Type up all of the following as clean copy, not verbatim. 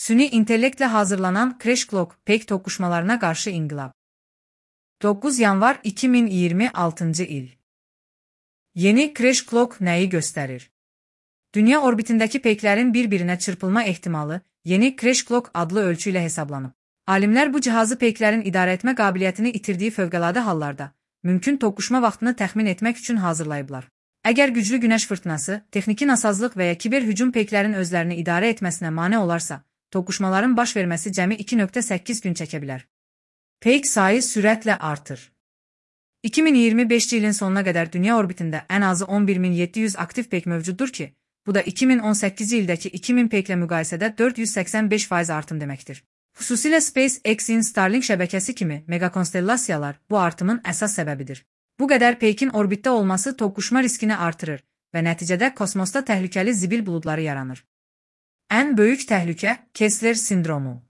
Süni intellektlə hazırlanan Crash Clock peyk toqquşmalarına qarşı inqilab. 9 yanvar 2026 il. Yeni Crash Clock nəyi göstərir? Dünya orbitindəki peyklərin bir-birinə çırpılma ehtimalı yeni Crash Clock adlı ölçü ilə hesablanıb. Alimlər bu cihazı peyklərin idarə etmə qabiliyyətini itirdiyi fövqəladə hallarda mümkün toqquşma vaxtını təxmin etmək üçün hazırlayıblar. Əgər güclü günəş fırtınası, texniki nasazlıq və ya kiber hücum peyklərin özlərini idarə etməsinə mane olarsa, toqquşmaların baş verməsi cəmi 2,8 gün çəkə bilər. Peyk sayı sürətlə artır. 2025 ilin sonuna qədər dünya orbitində ən azı 11.700 aktiv peyk mövcuddur ki, bu da 2018 ildəki 2000 peyklə müqayisədə 485% artım deməkdir. Xüsusilə SpaceX-in Starlink şəbəkəsi kimi megakonstellasiyalar bu artımın əsas səbəbidir. Bu qədər peykin orbitdə olması toqquşma riskini artırır və nəticədə kosmosda təhlükəli zibil buludları yaranır. Ən böyük təhlükə Kessler sindromu.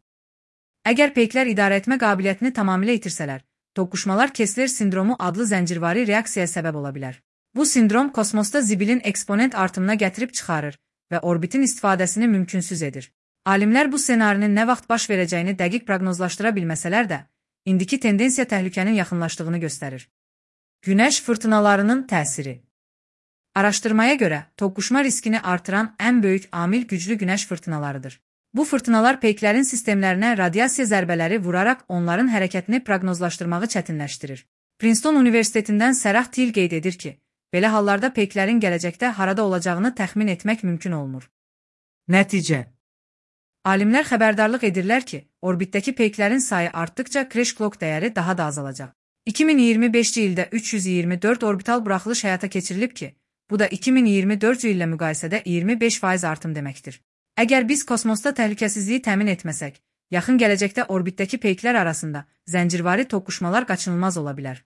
Əgər peyklər idarə etmə qabiliyyətini tamamilə itirsələr, toqquşmalar Kessler sindromu adlı zəncirvari reaksiyaya səbəb ola bilər. Bu sindrom kosmosda zibilin eksponent artımına gətirib çıxarır və orbitin istifadəsini mümkünsüz edir. Alimlər bu ssenarinin nə vaxt baş verəcəyini dəqiq proqnozlaşdıra bilməsələr də, indiki tendensiya təhlükənin yaxınlaşdığını göstərir. Günəş fırtınalarının təsiri. Araşdırmaya görə, toqquşma riskini artıran ən böyük amil güclü günəş fırtınalarıdır. Bu fırtınalar peyklərin sistemlərinə radiasiya zərbələri vuraraq onların hərəkətini proqnozlaşdırmağı çətinləşdirir. Princeton Universitetindən Sərah Til qeyd edir ki, belə hallarda peyklərin gələcəkdə harada olacağını təxmin etmək mümkün olmur. Nəticə. Alimlər xəbərdarlıq edirlər ki, orbitdəki peyklərin sayı artdıkca Crash Clock dəyəri daha da azalacaq. 2025 ildə 324 orbital buraxılış həyata keçirilib ki, bu da 2024 illə müqayisədə 25% artım deməkdir. Əgər biz kosmosda təhlükəsizliyi təmin etməsək, yaxın gələcəkdə orbitdəki peyklər arasında zəncirvari toqquşmalar qaçınılmaz ola bilər.